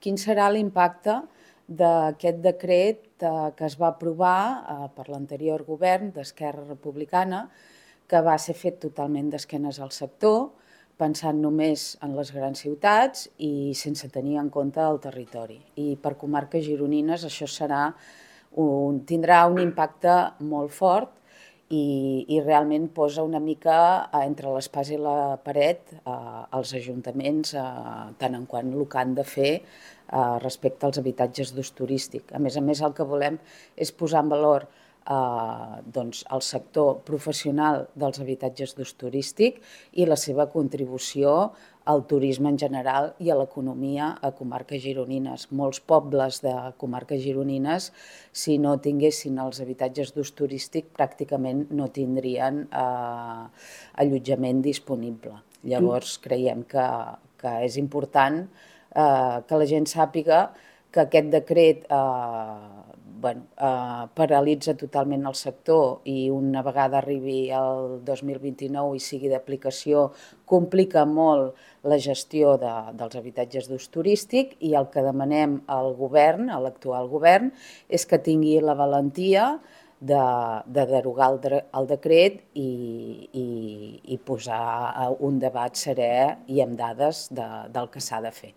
Quin serà l'impacte d'aquest decret que es va aprovar per l'anterior govern d'Esquerra Republicana, que va ser fet totalment d'esquenes al sector, pensant només en les grans ciutats i sense tenir en compte el territori. I per comarques gironines això tindrà un impacte molt fort i realment posa una mica entre l'espasa i la paret als ajuntaments tant en quant el que han de fer respecte als habitatges d'ús turístic. A més, el que volem és posar en valor el sector professional dels habitatges d'ús turístic i la seva contribució al turisme en general i a l'economia a comarques gironines. Molts pobles de comarques gironines, si no tinguessin els habitatges d'ús turístic, pràcticament no tindrien allotjament disponible. Llavors creiem que és important que la gent sàpiga que aquest decret paralitza totalment el sector i una vegada arribi el 2029 i sigui d'aplicació complica molt la gestió dels habitatges d'ús turístic i el que demanem al govern, a l'actual govern, és que tingui la valentia de derogar el decret i posar un debat serè i amb dades del que s'ha de fer.